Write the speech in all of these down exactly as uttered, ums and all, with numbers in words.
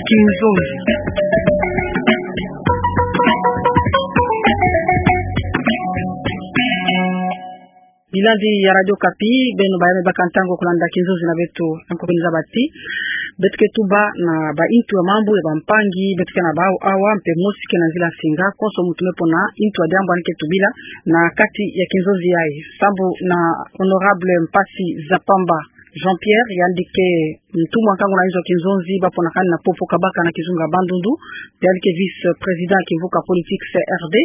Kinzonzi. Bilandi ya Radio Okapi, beno baye me baka ntangu ya kulanda kinzonzi na beto, anko beno zaba ti beto ke tuba na baintu ya mambu ya bampangi beto ke na bau awa, mpe mosi ke na nzila nsinga, konso muntu me pona intu ya diambu yandi ke tubila na kati ya kinzonzi yayi. Sambu na Honorable Mpasi Zapamba Jean-Pierre, yandi ke ntumwa nkangu na inzo ya kinzonzi, ba pona kani na Popo Kabaka na kizunga Bandundu, yandi ke vice-président ya kimvuka politique C R D,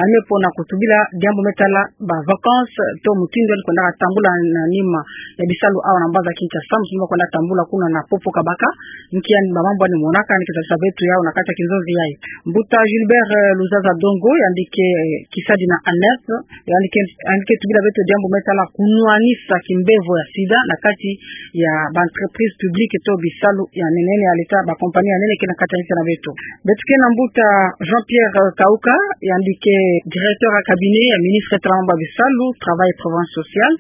yandi me pona kutubila diambu me tala ba vacances, to mutindu yandi kwendaka tambula na nima ya bisalu awa na mbanza Kinshasa, mutindu ba kwenda tambula kuna na Popo Kabaka, nki yandi, ba mambu yandi monaka, yandi ke zaba beto yau na kati ya kinzonzi yayi. Mbuta Gilbert, eh, Luzaza Dongo, yandi ke, eh, kisadi na ANEP, yandi ke, yandi ke tubila beto diambu me tala kunwanisa kimbevo ya sida na kati ya ba entreprises publiques to bisalu ya nene ya l'État, ba compagnies ya nene ke na kati ya nsi na beto. Beto ke na mbuta Jean-Pierre, eh, Kauka, yandi ke directeur ya cabinet ya ministre ya tala mambu ya bisalu, travail et prévoyance sociale.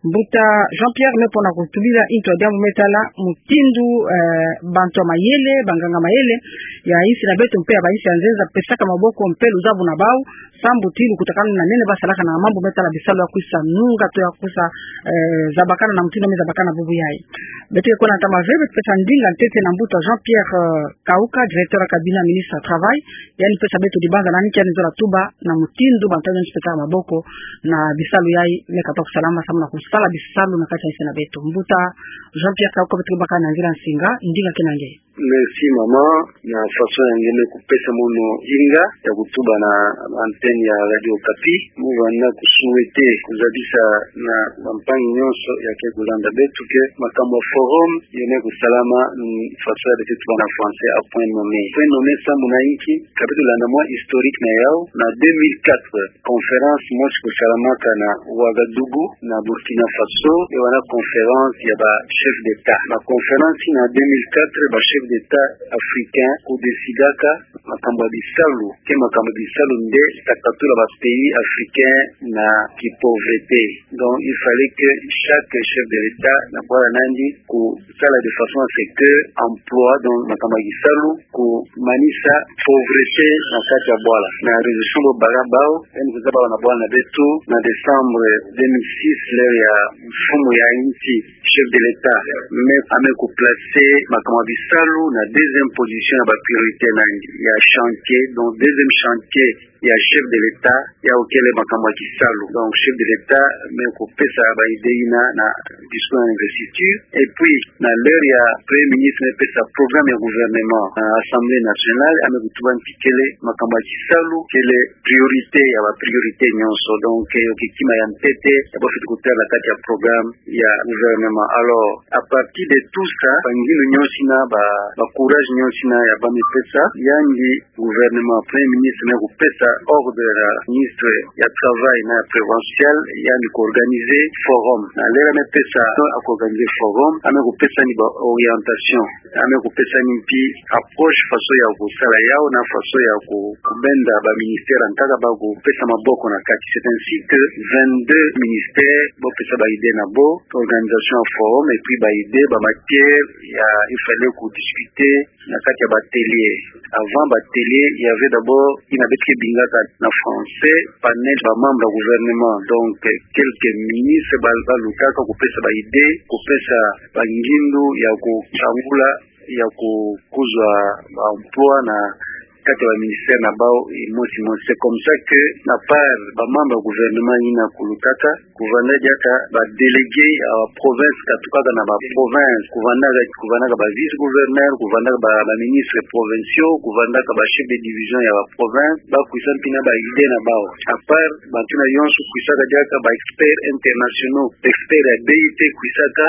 Mbuta Jean-Pierre me pona kutubila intu ya diambu me tala mutindu, eh, bantu ya mayele, banganga mayele ya insi na beto mpe ya bainsi ya nzenza pesaka maboko mpe luzabu na bau, sambu ti lukutakanu na nene ba salaka na mambu me tala bisalu ya kwisa nunga to ya kwisa, eh, zabakana na mutindu me zabakana bubu yayi. Beto ke kwenda ntama ve, beto pesa ndinga ntete na mbuta Jean-Pierre, eh, Kauka, directeur ya cabinet ya ministre ya travail, yandi pesa beto dibanza na nki yandi zola tuba na mutindu bantu ya nsi pesaka maboko na bisalu yayi me kapabla kusalama, samu na kusala bisalu na kati ya nsi na beto. Mbuta Jean-Pierre Kauka, beto ke baka na nzila nsinga, ndinga ke na nge. Merci mama, na façon ya nge me kupesa mono ndinga ya kutuba na antenne ya Radio Okapi. Mu vanda ku souhaiter, kuzabisa na bampangi nyonso ya ke kulanda beto ke makambu ya forum yo me kusalama, mm, façon ya beto tuba na français, à point nommé. Point nommé sambu na inki? Ka beto landa mwa historique na yau, na deux mille quatre, conférence mosi kusalamaka na Ouagadougou, na Burkina Faso, e wana conférence ya ba chefs d'État. Na conférence na deux mille quatre, ba chefs d'État africains kudécidaka makambu ya bisalu, ke makambu ya bisalu nde ta katula ba pays africains na kipauvreté. Donc, il fallait que chaque chef de l'État, na bwala na yandi, kusala de façon à ce que emploi, donc makambu ya kisalu, kumanisa pauvreté na kati ya bwala. Na résolution bo baka bau, yandi kuzaba bau na bwala na beto, na décembre deux mille six, l'heure ya mfumu ya insi, chef de l'État, me, a me kuplacer makambu ya bisalu na deuxième position ya ba priorité na yandi ya chantier. Donc, deuxième chantier ya chef de l'État, yau kele makambu ya kisalu. Donc, chef de l'État me kupesa ba idée yina na discours ya investiture. Et puis, na l'heure ya Premier ministre me pesa programme ya gouvernement na Assemblée nationale, a me kutuba nti kele makambu ya kisalu kele priorité ya ba priorité nyonso. Donc, eh, yo ke kima ya ntete ya bafweti kutêla na kati ya programme ya gouvernement. Alors, à partir de tout ça, ba ngindu nyonso yina, ba, ba courage nyonso yina ya ba me pesa, yandi gouvernement, Premier ministre me kupesa ordre na ministre ya travail na prévoyance sociale, yandi kuorganiser forum. Na l'heure a me pesa, a kuorganiser forum, a me kupesa yandi ba orientation, a me kupesa yandi mpi approche, façon ya kusala yau, na façon ya ku, kubenda ba ministère ya ntaka ba kupesa maboko na kati. C'est ainsi que vingt-deux ministères bo pesa ba idée na bo, organisation ya forum, et puis ba idée, ba matière ya il fallait kudiscuter na kati ya ba atelier. Avant ba atelier, il y avait d'abord, yina beto ke bingaka na français, panel ba membres ya gouvernement. Donc, eh, quelques ministres ba, balutaka kupesa ba idée, kupesa ba ngindu ya kutangula, ya ku, kuzwa ba emploi na kati ya ba ministère na bau, eh, mosi mosi. C'est comme ça que, na part ba membres ya gouvernement yina kulutaka, kuvanda diaka ba délégués ya ba province, katukaka na ba province, kuvandaka, kuvandaka ba vice-gouverneurs, kuvandaka ba, ba ministres provinciaux, kuvandaka ba chefs de division ya ba province, ba kwisa mpi na ba idée na bau. À part, bantu yina yonso kwisaka diaka ba experts internationaux, experts ya B I T kwisaka,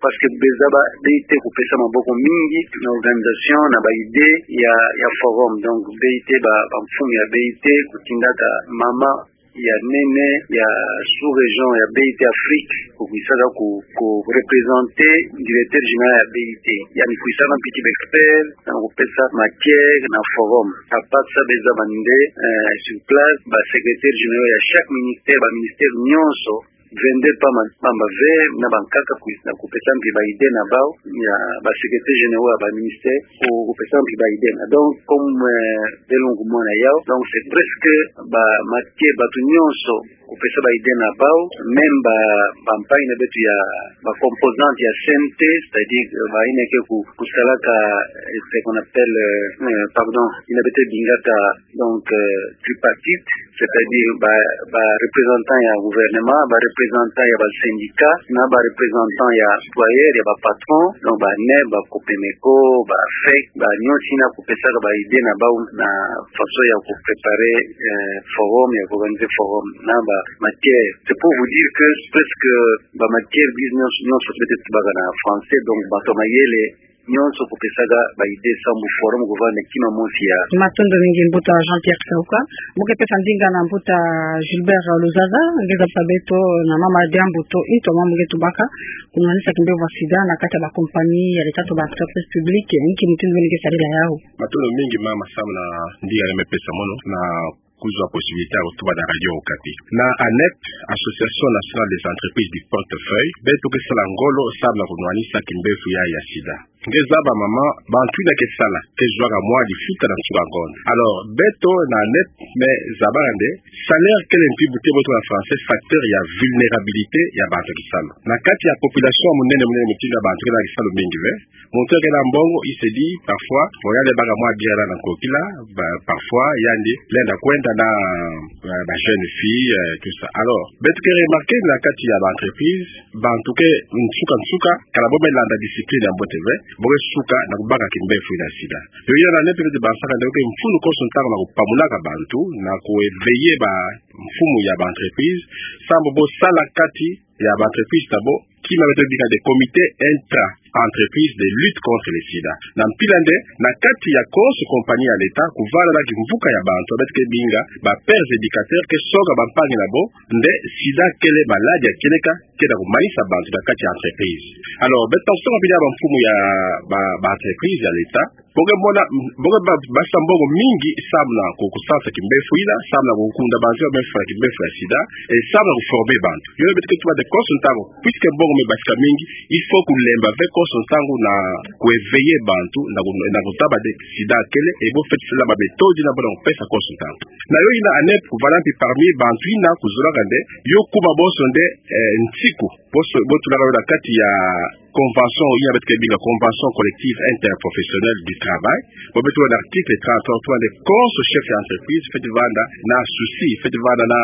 parce que beza ba B I T kupesa maboko mingi na organisation na ba idée ya, ya forum. Donc, B I T, ba, ba mfumu ya B I T, kutindaka mama ya nene ya sous-région ya B I T Afrique, kukwisaka ku, ku représenter directeur général ya B I T. Yandi kwisaka mpi ti ba experts, na kupesa matière na forum. À part ça, beza bande, euh, sur place, ba secrétaires généraux ya chaque ministère, ba ministères nyonso, vingt-deux pas ma-, pamba ve, na bankaka kwi-, na kupesa mpi ba idée na bau, ya ba secrétaires généraux ya ba ministère, ku-, kupesa mpi ba idée na. Donc, comme, euh, beno kumona yawu, donc c'est presque ba matière, bato nyonso kupesa ba idée na bau, même ba, ba mpangi na beto ya, ba composantes ya C N T, c'est-à-dire, euh, bayina ke ku-, kusalaka, euh, ce qu'on appelle, euh, euh, pardon, yina beto bingaka, donc, euh, tripartite, c'est-à-dire ba, ba représentants ya gouvernement, ba représentants ya ba syndicats, na ba représentants ya employeurs, ya ba patrons, donc ba ANEP, ba COPEMECO, ba AFEC, ba nyonso yina kupesaka ba idée na bau na façon ya kupréparer, euh, forum, ya kuorganiser forum na ba matière. C'est pour vous dire que presque ba matière dix-neuf nyonso beto tubaka na français, donc bato mayele nyonso kupesaka ba idée sambu forum kuvanda kima mosi ya. Matondo mingi mbuta Jean-Pierre Kisauka. Mbo ke pesa ndinga na mbuta Gilbert Luzaza, nge zabisa beto na mama diambu to into mama nge tubaka, kunwanisa kimbevo ya sida na kati ya ba compagnies ya l'État to ba entreprises publiques, nki mutindu beno ke sarila yawu. Matondo mingi mama samu na ndinga me pesa mono na kuzwa possibilité ya kutuba na Radio Okapi. Na ANEP, Association Nationale des Entreprises du Portefeuille, beto ke sala ngolo samu na kunwanisa kimbevo ya, ya sida. Nge zaba mama, bantu yina ke sala, ke zwaka mwa lifuta na nsuka ngonda. Alors, beto na ANEP, me zabaka nde, salaire kele mpi buti bo tuba na français, facteur ya vulnérabilité ya bantu ya kisalu. Na kati ya population ya munene, munene mutindu ya bantu ke na kisalu mingi ve, muntu ke na mbongo, il se dit, parfois, bon, yandi baka mwa bière na nkokila, ba, parfois, yandi lenda kwenda na, euh, ba jeunes filles, euh, tout ça. Alors, beto ke remarquer na kati ya ba entreprises, bantu ke nsuka nsuka, kala bo me landa discipline ya mbote ve, bo ke suka na kubaka kimbevo yina sida. Yo yina na ANEP beto ke bansaka nde, yo ke mfunu konso ntangu na kupamulaka bantu, na ku éveiller ba mfumu ya ba entreprises, sambu bo sala kati ya ba entreprises na bo, kima beto bingaka nde comité intra-entreprise de lutte contre le sida. Na mpila nde, na kati ya konso compagnie ya l'État, kuvanda na kimvuka ya bantu, beto ke binga ba pères éducateurs ke songa bampangi na bo nde sida kele maladie ya kieleka, ke na kumanisa bantu na kati ya entreprise. Alors, beto songa mpila ya ba mfumu ya ba, ba entreprise ya l'État, bo ke mona, bo ke ba, basa mbongo mingi samu na ku, kusansa kimbevo yina, samu na kukunda bantu ya me fwa kimbevo ya sida, et samu na kuformer bantu. Yo beto ke tuba nde konso ntangu, puisque mbongo me basika mingi, il faut kulemba ve konso ntangu na ku éveiller bantu, na ku, na kuzaba nde sida kele, et bo fweti sala ba méthodes na bo na kupesa konso ntangu. Na yo yina ANEP kuvanda mpi parmi bantu yina kuzolaka nde, yo kuma bonso nde, eh, nsiku, bonso, bo tulaka yo na kati ya convention, yina beto ke binga convention collective interprofessionnelle du travail. Bo beto na article trente-trois, tuba nde konso chef ya entreprise fweti vanda na souci, fweti vanda na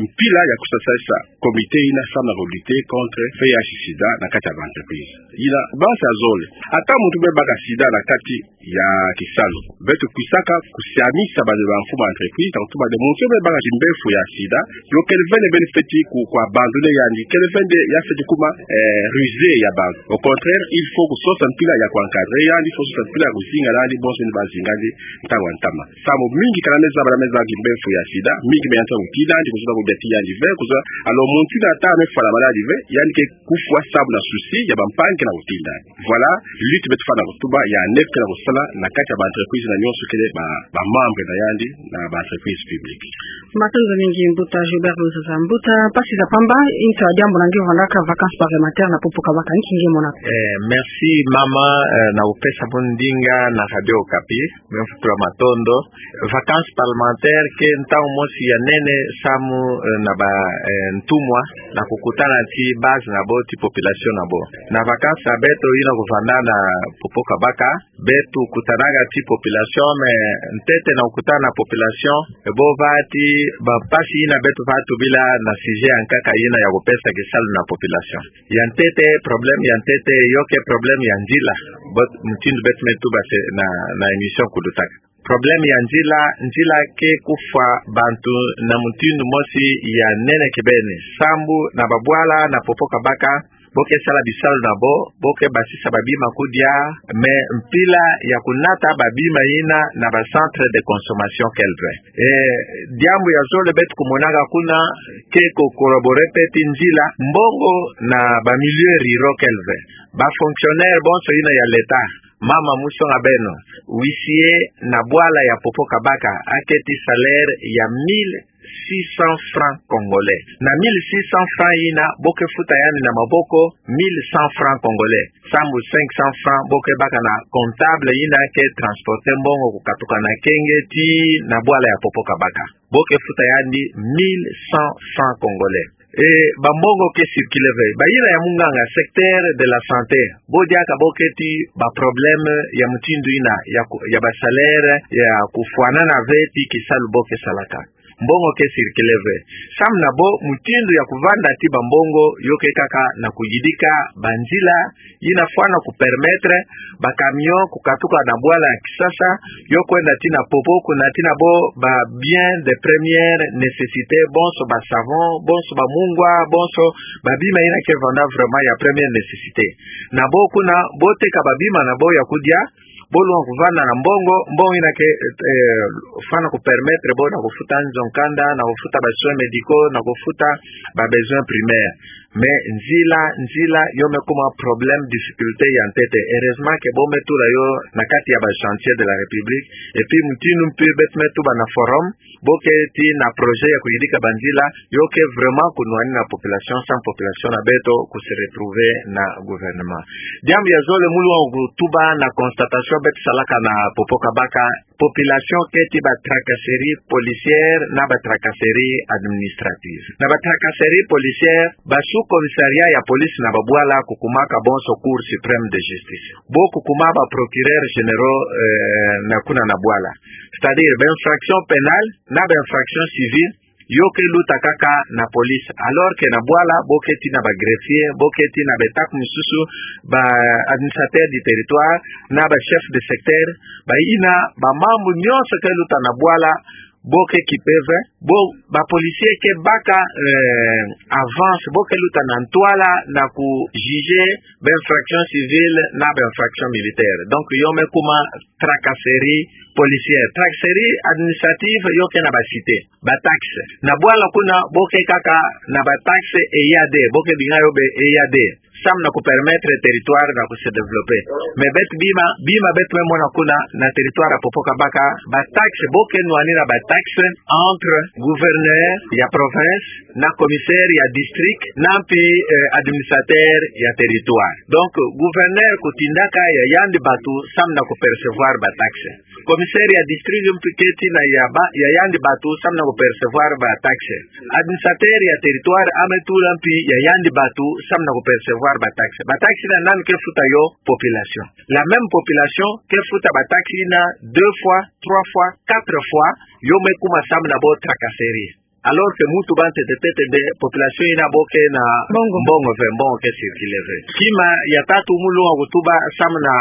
mpila ya kusasasa comité yina samu na ku lutter contre V I H sida na kati ya ba entreprise. Yina, basi ya zole. Ata muntu me baka sida na kati ya kisalu, beto kwisaka kusiamisa bana ba mfumu entreprise, na kutuba nde muntu yo me baka kimbevo ya sida, yo kele ve nde beno fweti ku, ku abandonner yandi, kele ve nde ya fweti kuma, eh, rusé ya bantu. Au contraire, il faut kusosa mpila ya ku encadrer yandi, il faut kusosa mpila ya kuzinga nandi, bonso ni bazinga nandi, ntangu ya ntama. Samu mingi kala me zaba nde me zaba kimbevo ya sida, mingi me yantika kutinda nandi, kuzola kudia ti yandi ve, kuzola, alors muntu yina ata me fwa na maladie ve, yandi ke kufwa samu na souci ya bampangi ke na kutinda nandi. Voilà, lutte beto fwana kutuba, ya ANEP ke na kusala na kati ya ba entreprise na nyonso kele ba, ba membre na yandi na ba entreprise publique. Matondo mingi mbuta Gilbert Luzaza. Mbuta Mpasi za Pamba, into diambu na nge vandaka vacances parlementaires na Popo Kabaka, nki nge monaka? Eh, merci mama, eh, na kupesa mono ndinga na Radio Okapi, me mfutula matondo. Vacances parlementaires ke ntangu mosi ya nene samu, eh, na ba, eh, ntumwa, na kukutana ti base na bo, ti population na bo. Na vacances ya beto yina kuvanda na Popo Kabaka, beto kutanaka ti population, mais ntete na kukutana na population, e bo va ti bampasi yina beto va tubila na sujet ya nkaka yina ya kupesa kisalu na population. Ya ntete, problème ya ntete, yo ke problème ya nzila. But, mutindu beto me tuba se na, na émission kulutaka. Problème ya nzila, nzila ke kufwa bantu na mutindu mosi ya nene kibeni. Sambu na babwala na Popo Kabaka, bo ke sala bisalu na bo, bo ke basisa babima kudia, mais mpila ya kunata babima yina na ba centres de consommation kele ve. Eh, diambu ya zole beto kumonaka kuna, ke ku collaborer pe ti nzila, mbongo na ba milieux ruraux kele ve. Ba fonctionnaires bonso yina ya l'État, mama musonga beno, huissier na bwala ya Popo Kabaka, aketi salaire ya mille six cents francs congolais. Na mille six cents francs yina, bo ke futa yandi na maboko mille cent francs congolais. Sambu cinq cents francs bo ke baka na comptable yina ke transporter mbongo kukatuka na kenge tii na bwala ya Popo-Kabaka. Bo ke futa yandi mille cent francs congolais. E, bambongo ke circuler ve. Bayina ya munganga, secteur de la santé, bo diaka bo keti ba problème ya mutindu yina, ya ku-, ya ba salaire, ya kufwanana ve tii kisalu bo ke salaka. Mbongo ke circuler ve. Samu na bo, mutindu ya kuvanda tii bambongo, yo ke kaka na kuyidika banzila yina fwana kupermettre ba camion kukatuka na bwala ya Kisasa, yo kwenda tii na Popo, kuna tii na bo ba biens de première nécessité, bonso ba savon, bonso ba mungwa, bonso ba bima yina ke vanda vraiment ya première nécessité. Na bo kuna, bo teka ba bima na bo ya kudia, bo lwanga kuvanda na mbongo, mbongo yina ke, eh, fwana kupermettre bo na kufuta nzo kanda, na kufuta ba soins médicaux, na kufuta ba besoins primaires. Mais nzila, nzila, yo me kuma problème, difficulté ya ntete. Heureusement que bo me tula yo na kati ya ba chantiers de la République. Et puis, mutindu mpe beto me tuba na forum, bo keti na projet ya kuyidika banzila, yo ke vraiment kunwani na population, samu population na beto ku se retrouver na gouvernement. Diambu ya zole mu lwanga kutuba na constatation beto salaka na Popo-Kabaka, population keti ba tracasserie policière na ba tracasserie administrative. Na ba tracasserie policière, ba sous-commissariat ya police na ba bwala kukumaka bonso Cour suprême de justice. Bo kukuma ba procureurs généraux, eh, na kuna na bwala. C'est-à-dire, ba infraction pénale na ba infraction civile, yo ke luta kaka na police. Alors que na bwala, bo keti na ba greffier, bo keti na ba étape mosusu, ba administrateur du territoire, na ba chef de secteur, bayina, ba mambu nyonso ke luta na bwala, bo ke kipe ve, bo, ba policier ke baka, eh, avance, bo ke luta na ntwala na ku juger ba infraction civile na ba infraction militaire. Donc, yo me kuma tracasserie policière. Tracasserie administrative, yo ke na ba cité. Ba taxe. Na bwala kuna, bo ke kaka na ba taxe eyade, bo ke binga yo be eyade. Samu na kupermettre territoire na ku se développer. Mais beto bima, bima beto me mona kuna na territoire ya Popo-Kabaka, ba taxe, bo ke nwani na ba taxe entre gouverneur ya province, na commissaire ya district, na mpi, eh, administrateur ya territoire. Donc, gouverneur kutindaka ya yandi batu samu na kupercevoir ba taxe. Commissaire ya district mpi keti na ya ba, ya yandi batu samu na kupercevoir ba taxe. Administrateur ya territoire ame tula mpi ya yandi batu samu na kupercevoir ba taxe. Ba taxe yina nani ke futa yo? Population. La même population ke futa ba taxe yina deux fois, trois fois, quatre fois, yo me kuma samu na bo tracasserie. Alors que mu tuba ntete ntete nde population yina bo ke na mbongo. Mbongo ve, mbongo ke circuler ve. Kima ya tatu mu lwanga kutuba samu na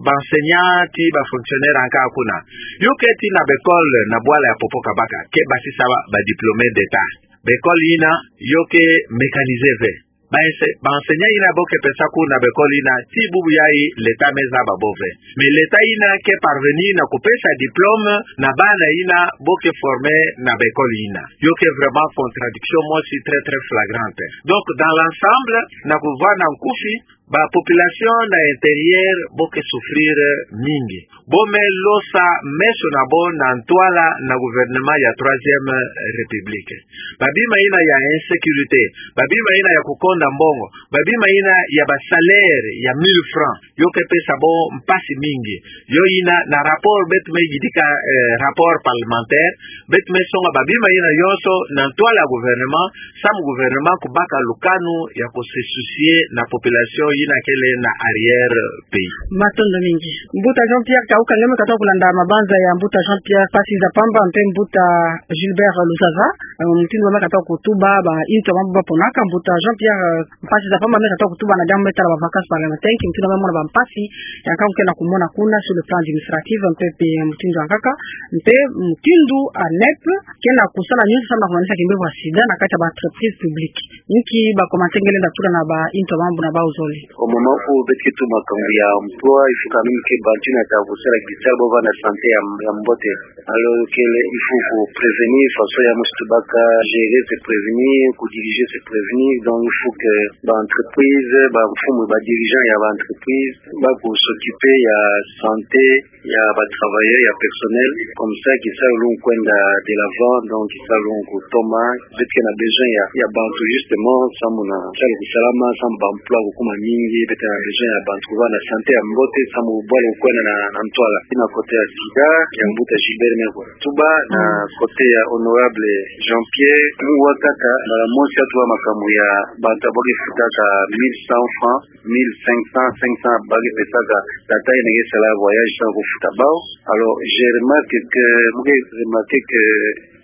ba enseignants tii ba fonctionnaires ankaka kuna. Yo keti na ba école na bwala ya Popo-Kabaka, ke basisa ba, ba diplômés d'État. Ba école yina, yo ke mécanisé ve. Ba ense-, ba enseignants yina bo ke pesa cours na ba école yina, tii bubu yayi l'État me zaba bo ve. Mais l'État yina ke parvenir na kupesa diplôme na bana yina bo ke former na ba école yina. Yo ke vraiment contradiction mosi très, très flagrante. Donc, dans l'ensemble, na kuvwanda nkufi, ba population na intérieur bo ke souffrir mingi. Bo me losa meso na bo na ntwala na gouvernement ya Troisième République. Ba bima yina ya insécurité, ba bima yina ya kukonda mbongo, ba bima yina ya ba salaire ya mille francs, yo ke pesa bo mpasi mingi. Yo yina na rapport beto me yidika, eh, rapport parlementaire, beto me songa ba bima yina yonso na ntwala ya gouvernement, samu gouvernement kubaka lukanu ya ku se soucier na population yina kele na arrière pays. Matondo mingi. Mbuta Jean-Pierre Kauka, nge me katuka kulanda mabanza ya Mbuta Jean-Pierre, mpasi za pamba, mpe Mbuta Gilbert Luzaza, eh, mutindu ba me katuka kutuba, ba intu mambu ba ponaka, Mbuta Jean-Pierre, eh, mpasi za pamba, me katuka kutuba na diambu me tala ba vacances parlementaires, nki mutindu ba me mona ba mpasi yankaka ke na kumona kuna sur le plan administratif, mpe, mpe mutindu yankaka, mpe mutindu ANEP ke na kusala nyonso samu na kumanisa kimbevo ya sida na kati ya ba entreprises publiques. Nki ba commentaires nge lenda tula na ba intu mambu na bau zole? Au moment où beto ke tuma makambu ya emploi, il faut quand même que bantu na ta kusala kibisalu bo vanda santé ya, ya mbote. Alors kele, il faut ko prévenir, façon ya mosi tubaka, gérer, se prévenir, ko diriger, se prévenir. Donc il faut que ba entreprise, ba mfumu, ba dirigeant ya ba entreprise ba ko s'occuper ya santé ya ba travailleur, ya personnel. Comme ça kisalu lungu kwenda de l'avant, donc kisalu lungu kutoma. Beto ke na besoin ya, ya bantu justement, samu na kisalu kusalama, samu ba emploi kukuma mingi. Beto ke na besoin ya bantu kuba na santé ya mbote, samu bwala kwenda na, na ntwala. Ina côté ya sida, ya mbuta Gilbert me ko tuba, na côté ya honorable Jean-Pierre, mu wakaka, mbala mosi atuba makambu ya bantu ba ke futaka mille cent francs, mille cinq cents, cinq cents ba ke pesaka tata ina ke sala voyage sans kufuta bawu. Alors, je remarque que, mu ke remarquer que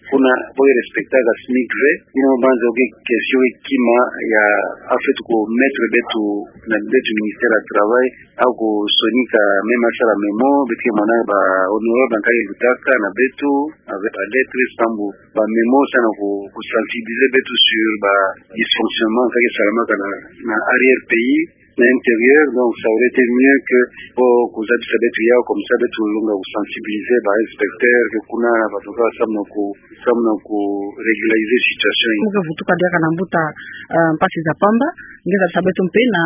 kuna ba ke respectaka SMIC ve. Ina mu banza ke question ke kima ya, en fait, ko mettre beto na beto ministère ya travail, au kusonika même asala memo, beto ke mona ba honorable nkake lutaka na beto avec ba lettres, sambu ba memo sa na ku, ku sensibiliser beto sur ba dysfonctionnement nkake salamaka na, na arrière-pays, na intérieur. Donc ça aurait été mieux que bo kuzabisa beto yawu, comme ça beto lunga ku sensibiliser ba inspecteur ke kuna, ba tuka samu na ku, samu na ku régulariser situation. Mu ke vutuka diaka na mbuta, eh, Mpasi Zapamba, nge zabisa beto mpe na,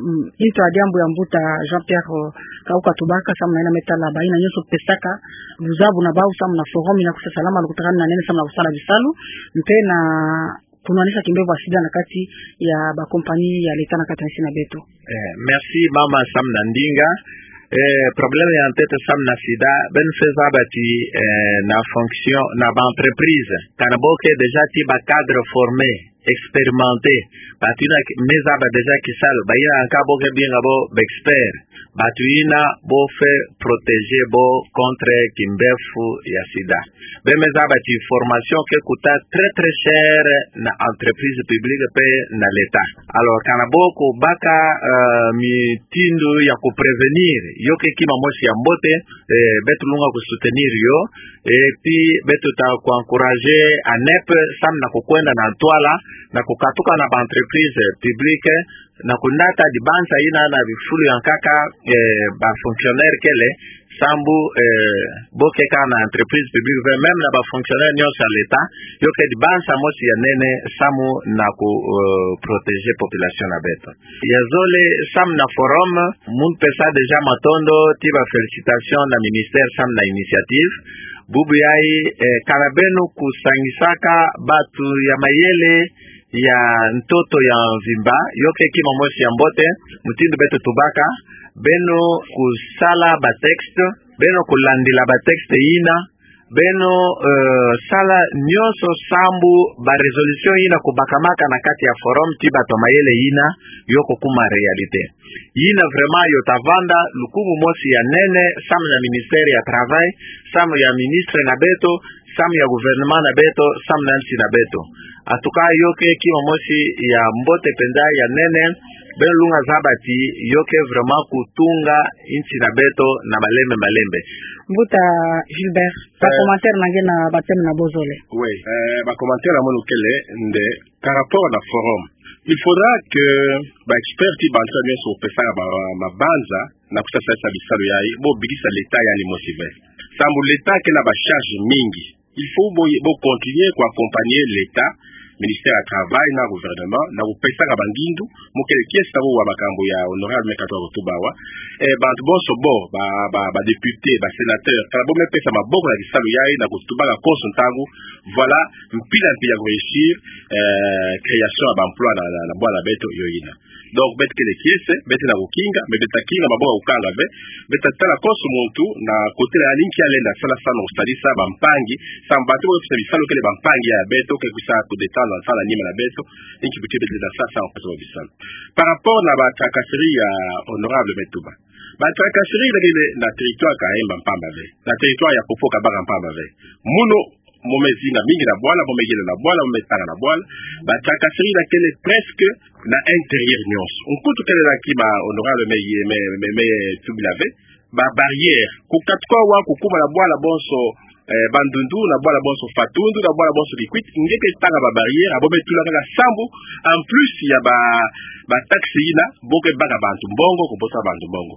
mm, nto ya diambu ya mbuta Jean-Pierre, eh, Kauka tubaka, samu na yina me tala ba yina nyonso pesaka luzabu na bawu samu na forum ina kusa salama, lukutaka na nene samu na kusala bisalu, mpe na kunwanisa kimbevo ya sida na kati ya ba compagnie ya l'État na kati ya nsi na beto. Eh, merci mama samu na ndinga. Eh, problème ya ntete samu na sida, beno se zaba ti, eh, na fonction, na ba entreprise, kana bo ke déjà ti ba cadre formé, expérimenté, bantu ina me zaba déjà kisalu, ba ina anka bo ke binga bo ba expert, bantu ina bo fai protéger bo contre kimbevo ya sida. Beno me zaba ti formation ke kuta très, très cher na entreprise publique mpe na l'État. Alors, kana bo kubaka, eh, mitindu ya ku prévenir, yo ke kima mosi ya mbote, eh, beto lunga ku soutenir yo, et puis beto ta ku encourager ANEP, samu na kukwenda na ntwala, na kukatuka na ba entreprise publique, na kunata dibanza ina na bifulu ya nkaka, eh, ba fonctionnaire kele, sambu, eh, bo ke kaka na entreprise publique ve, même na ba fonctionnaire nyonso ya l'État, yo ke dibanza mosi ya nene samu na ku, eh, protéger population na beto. Ya zole, samu na forum, mu pesa déjà matondo ti ba félicitation na ministère samu na initiative. Bubu yayi, eh, kana beno kusangisaka bantu ya mayele ya ntoto ya mvimba, yo ke kima mosi ya mbote, mutindu beto tubaka, beno kusala ba texte, beno kulandila ba texte ina, beno, eh, sala nyonso sambu ba résolution ina kubakamaka na kati ya forum ti bantu ya mayele ina, yo kukuma réalité. Yina vraiment yo ta vanda lukumu mosi ya nene, samu ya ministère ya travail, samu ya ministre na beto, samu ya gouvernement na beto, samu na nsi na beto. En tout cas, yo ke kima mosi ya mbote mpenza, ya nene, beno lunga zaba ti yo ke vraiment kutunga nsi na beto na malembe malembe. Mbuta Gilbert, ba commentaire na nge na ba thème na bo zole. Oui, eh, ba commentaire na mono kele nde, par rapport na forum, il faudra que ba expert ti bantu nyonso pesaka ba mabanza na kusa salisa bisalu yayi, bo bikisa l'État yandi mosi ve. Sambu l'État ke na ba charge mingi. Il faut bo, bo continuer ku accompagner l'État, ministère ya travail na gouvernement, na kupesaka ba ngindu, mu kele kiese ta bo wa makambu ya honorable me katuka kutuba awa. Eh, bantu bonso bo, ba, ba, ba député, ba sénateur, kana bo me pesa maboko na kisalu yayi, na kutubaka konso ntangu, voilà, mpila mpila ku réussir, eh, création ya ba emploi na, na, na bwala beto yo yina. Donc, beto kele kiese, beto na kukinga, mais beto ta kinga maboko ya kukanga ve, beto ta tala konso muntu na côté na yandi nki ya lenda sala, samu na kusalisa ba mpangi, samu bantu bo ke pesa bisalu kele ba mpangi ya beto, ke kusa ku détendre na sala nima na beto, nki buti beto lenda sala samu na kusa bisalu. Par rapport na ba tracasserie ya honorable me tuba. Ba tracasserie ina kele na territoire Kaemba mpamba ve. Na territoire ya Popo-Kabaka mpamba ve. Mono mo me zinga mingi na bwala, mo me yela na bwala, mo me tanga na bwala. Ba tracasserie ina kele presque na intérieur nyonso. Nkutu kele na kima honorable me ye, me, me, me tubila ve. Ba barrière. Kukatuka awa kukuma na bwala bonso, eh, Bandundu, na bwala bonso Fatundu, na bwala bonso Kikwit, nge ke tanga ba barrière, abo me tula kaka sambu, en plus ya ba, ba taxe ina, bo ke baka bantu mbongo, ko bosa bantu mbongo.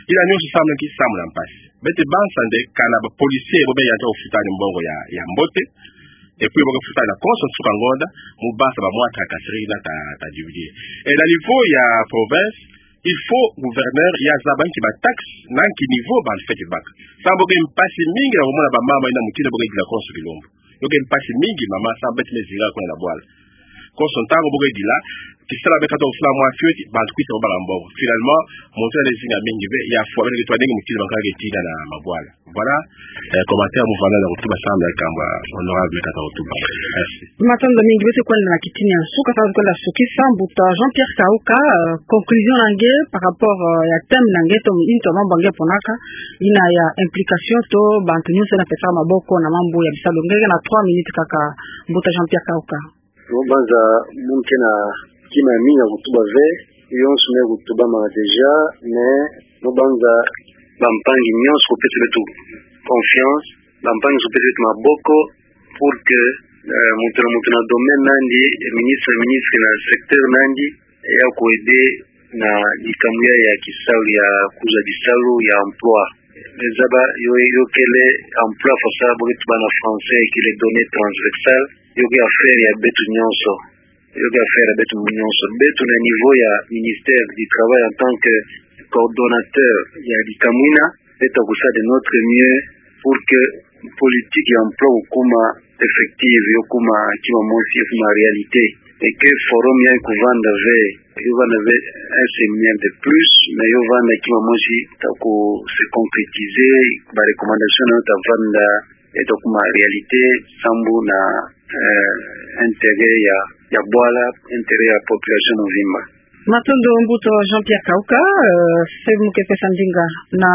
Yina nyonso samu na nki? Samu na mpasi. Beto banza nde kana ba policiers bo beno yandi ta kufuta ni mbongo ya, ya mbote. Et puis bo ke futa na konso nsuka ngonda, mu banza ba mwa tracasserie yina ta, ta diminuer. Et na niveau ya province, il faut gouverneur ya zaba nki ba taxes, na nki niveau ba fweti baka. Samu bo ke mpasi mingi na kumona ba mama yina mutindu bo ke dila konso kilumbu. Yo ke mpasi mingi mama, samu beto me zinga kuna na bwala. Konso ntangu bo ke dila, kisalu be kata kusala mwa fioti, bantu kwisa babaka mbongo. Finalement, muntu yandi zinga mingi ve, ya fwa, beno ke twa ndenge mutindu ba nkaka ke tina na mabwala. Voilà, eh, commentaire mu vanda na kutuba samu na likambu ya honorable kata kutuba. Merci. Matondo mingi, beto kwenda na kitini ya nsuka, samu kwenda sukisa, mbuta Jean-Pierre Kauka, euh, conclusion na nge par rapport, euh, ya thème na nge to into mambu nge ponaka, yina ya implication to bantu nyonso yina pesaka maboko na mambu ya bisalu. Nge ke na trois minutes kaka, mbuta Jean-Pierre Kauka. Mo banza mu ke na kima ya mingi ya kutuba ve, yonso me kutubama déjà, mais mo banza bampangi nyonso kupesa beto confiance, bampangi nyonso kupesa beto maboko, pour que, euh, muntu na muntu na domaine na yandi, ministre na ministre na secteur na yandi, ya ku aider na likambu ya, ya kisalu, ya kuzwa kisalu, ya emploi. Zaba yo, yo kele emploi, faut savoir, bo ke tuba na français, kele données transversales, yo ke affaire ya beto nyonso. Yo ke affaire ya beto nyonso. Beto na niveau ya ministère du travail en tant que coordonnateur ya likamwina, beto kusala de notre mieux pour que politique ya emploi kukuma effective, yo kuma kima mosi, yo kuma réalité. Et que forum ya kuvanda ve, yo vanda ve un séminaire de plus, mais yo vanda kima mosi ta ku se concrétiser, ba recommandation na yo ta vanda, et ta kuma réalité, samu na, euh, intérêt ya, ya bwala, intérêt ya population mobimba. Matondo mbuta Jean-Pierre Kauka, euh, samu ke pesa ndinga na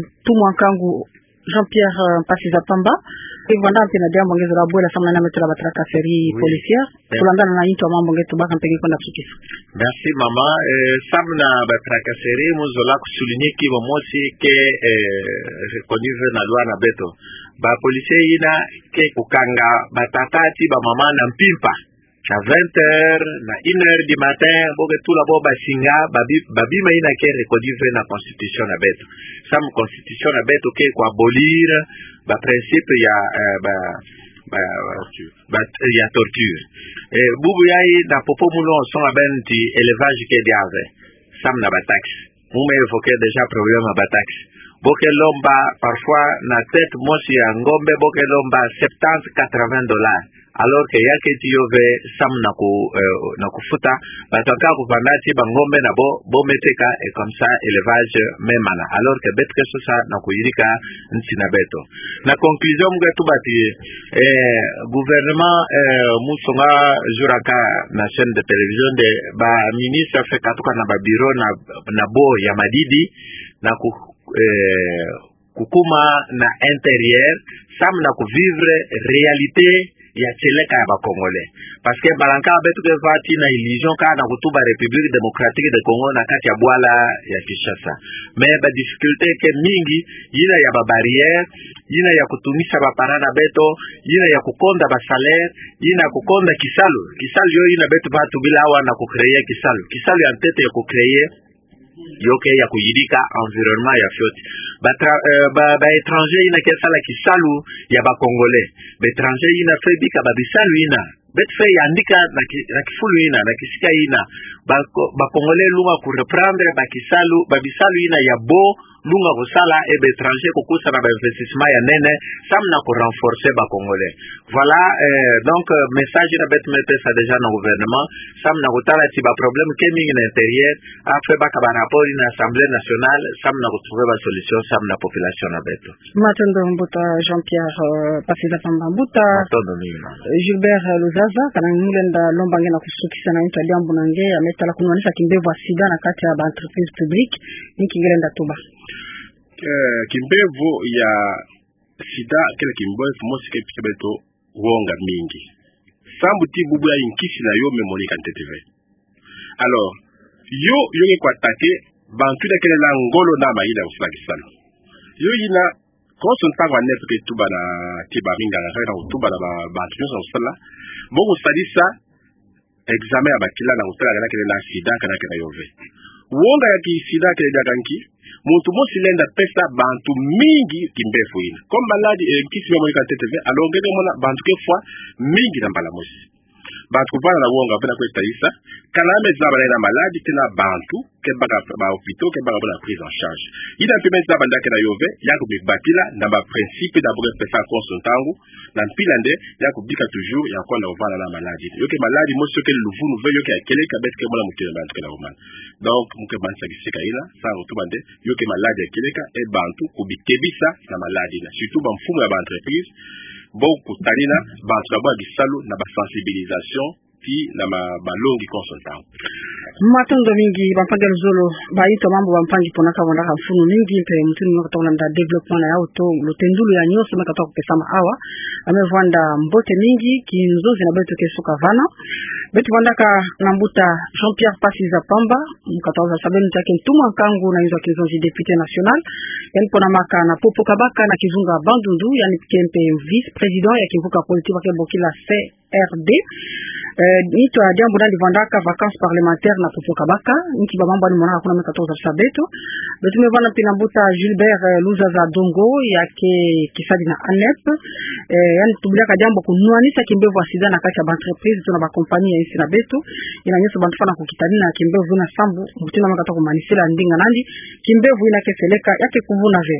ntumwa nkangu Jean-Pierre, euh, Mpasi za Pamba. Ke vanda mpe na diambu nge zola bwela samu na yina me tula ba tracasserie policière. Kulandana na into mambu nge tubaka mpe nge kwenda sukisa. Merci mama. Euh, samu na ba tracasserie, mo zola ku souligner kima mosi ke, euh, reconnu ve na loi na beto. Ba policiers yina ke kukanga ba tata ti ba mama na mpimpa. Na vingt heures, na une heure du matin, bo ke tula bo ba singa, ba bi-, ba bima yina ke reconnu ve na constitution na beto. Samu constitution na beto ke ku abolir ba principe ya, euh, ba, ba, ba, ya torture. Eh, bubu yayi na popo mu longo songa beno ti élevage ke diaku ve. Samu na ba taxes. Mu me évoquer déjà problème ya ba taxes. Bo ke lomba, parfois, na tête mosi ya ngombe, bo ke lomba septante, quatre-vingts dollars. Alors que ya keti yo ve samu na ku, euh, na kufuta, bantu ya nkaka kuvanda ti ba ngombe na bo, bo me teka, et comme ça, élevage me mana. Alors que beto ke sosa na kuyirika nsi na beto. Na conclusion, mo ke tuba ti, eh, gouvernement, eh, mo songa jour ya nkaka na chaîne de télévision nde ba ministre fwe katuka na ba bureau na, na bo ya madidi, na ku, eh, kukuma na intérieur, samu na ku vivre réalité ya tieleka ya ba Congolais. Parce que mbala ya nkaka beto ke va ti na illusion kaka na kutuba République Démocratique de Congo na kati ya bwala ya Kinshasa. Mais ba difficulté ke mingi, yina ya ba barrières, yina ya kutungisa ba parents na beto, yina ya kukonda ba salaires, yina ya kukonda kisalu. Kisalu yo yina beto va tubila awa na ku créer kisalu. Kisalu ya ntete ya ku créer yo ke ya kuyirika environnement ya fioti. Ba tra-, euh, ba, ba étrangers yina ke sala kisalu ya ba Congolais. Ba étrangers yina fwe bika ba bisalu yina. Beto fwe yandika na ki-, na kifulu yina, na kisika yina. Ba ko-, ba Congolais lunga ku reprendre ba kisalu, ba bisalu yina ya bo, lunga kusala, et ba étrangers kukusa na ba investissement ya nene, samu na ku renforcer ba Congolais. Voilà, euh, donc, euh, message yina beto me pesa déjà na gouvernement, samu na kutala ti ba problème ke mingi na intérieur, a fwe baka ba rapport yina Assemblée nationale, samu na ku trouver ba solution, samu na population na beto. Matondo mbuta Jean-Pierre, euh, Mpasi za Pamba. Mbuta, matondo mingi, mama. Euh, Gilbert, euh, Luzaza, kana nge nge lenda lomba nge na kusukisa na into diambu na nge, ya me tala kunwanisa kimbevo ya sida na kati ya ba entreprises publiques, nki nge lenda tuba. Eh, kimbevo ya sida kele kimbevo mosi ke pesa beto wonga mingi. Samu ti bubu yayi nkisi na yo me monika ntete ve. Alors, yo, yo ke ku attaquer bantu yina kele na ngolo na mayela ya kusala kisalu. Yo yina, konso ntangu aneto ke tuba na ti ba minganga, kaka na kutuba na ba, bantu nyonso na kusala. Bo kusalisa examen ya bakila na kutala kana kele na sida, kana kele na yo ve. Wonga ya ki sida kele diaka nki, muntu mosi lenda pesa bantu mingi kimbevo yina. Comme maladi, eh, nkisi me mona ka ntete ve, alors nge ke mona bantu ke fwa mingi na mbala mosi. Bantu kuvwanda na wonga ve na kwe tayisa, kana me zaba na yina maladi, tena bantu ke baka ba hôpitaux, ke baka ba na prise en charge. Yina mpe me zaba nda ke na yo ve, ya kumibatila na ba principe na bo ke pesa konso ntangu, na mpila nde, ya kubika toujours ya kwenda kuvwanda na maladi. Yo ke maladi mosi yo ke luvunu ve, yo ke ya kieleka, beto ke mona mutindu bantu ke na wumana. Donc, mu ke manisa kisika yina, samu tuba nde, yo ke maladi ya kieleka, e bantu kubikebisa na maladi yina. Surtout ba mfumu ya ba entreprise, bo kutanina bantu na bo ya bisalu na ba sensibilisation, ti na ma-, malongi konso ntangu. Matondo mingi, bampangi ya luzolo, ba yintu mambu bampangi pona ka wandaka mfunu mingi, mpe mutindu muna katoka landa développement na yawu to lutendulu ya nyonso me katoka kupesama awa, ya me vwanda mbote mingi, kinzonzi na beto ke suka vana. Beto vwandaka na mbuta Jean-Pierre Pasiza Pamba, mu katoka zaba beno ti ya ke ntumwa nkangu na inzo ya kinzonzi, député national, yandi ponamaka na Popo Kabaka na kizunga Bandundu, yandi ke mpe vice-président ya kimvuka politique ba ke bokila C R D. Eh, nitu ya diambu nandi vwandaka vacances parlementaires na Popo Kabaka, nki ba mambu yandi monaka kuna me katoka zaba beto. Beto me vwanda mpe na mbuta Gilbert, eh, Luzaza Dongo, ya ke kisadi na ANEP. Eh, yandi tubilaka diambu kunwanisa kimbevo ya sida na kati ya ba entreprise to na ba compagnie ya insi na beto. Yina nyonso bantu fwana kukitanina kimbevo yina sambu mutindu me katoka kumanisila ndinga nandi, kimbevo yina ke seleka, ya ke kuvuna ve.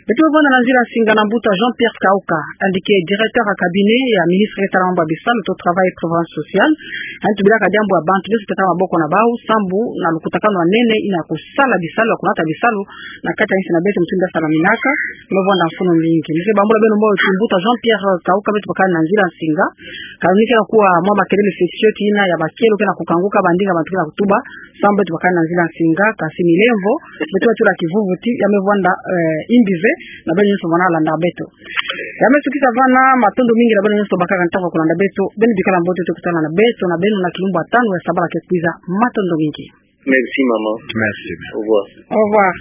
Beto me vwanda na nzila nsinga na mbuta Jean-Pierre Kauka, yandi ke directeur ya cabinet ya ministre ke sala mambu ya bisalu to travail et prévoyance sociale. Yandi tubilaka diambu ya bantu nyonso teka maboko na bawu, sambu na lukutakanu ya nene yina kusala bisalu, ya kunata bisalu na kati ya insi na beto mutindu ya salaminaka. Me vwanda mfunu mingi. Nise bambula beno mbo ti mbuta Jean-Pierre Kauka, beto bakani na nzila nsinga. Ka lunikela kuwa mwa makelele sesio ti yina ya bakelo ke na kukanguka, ba ndinga bantu ke na kutuba, sambu beto bakani na nzila nsinga, kasi ni lemvo, beto tula kivuvu ti, ya me vwanda, eh, imbi ve, na beno nyonso bana landa beto. Ya me sukisa vana, matondo mingi na beno nyonso bakaka ntangu ya kulanda beto, beno bikala mbote, tokutana na beto na beno na kilumbu ya tanu ya sabala ke kwiza, matondo mingi. Merci, maman. Merci. Au revoir. Au revoir.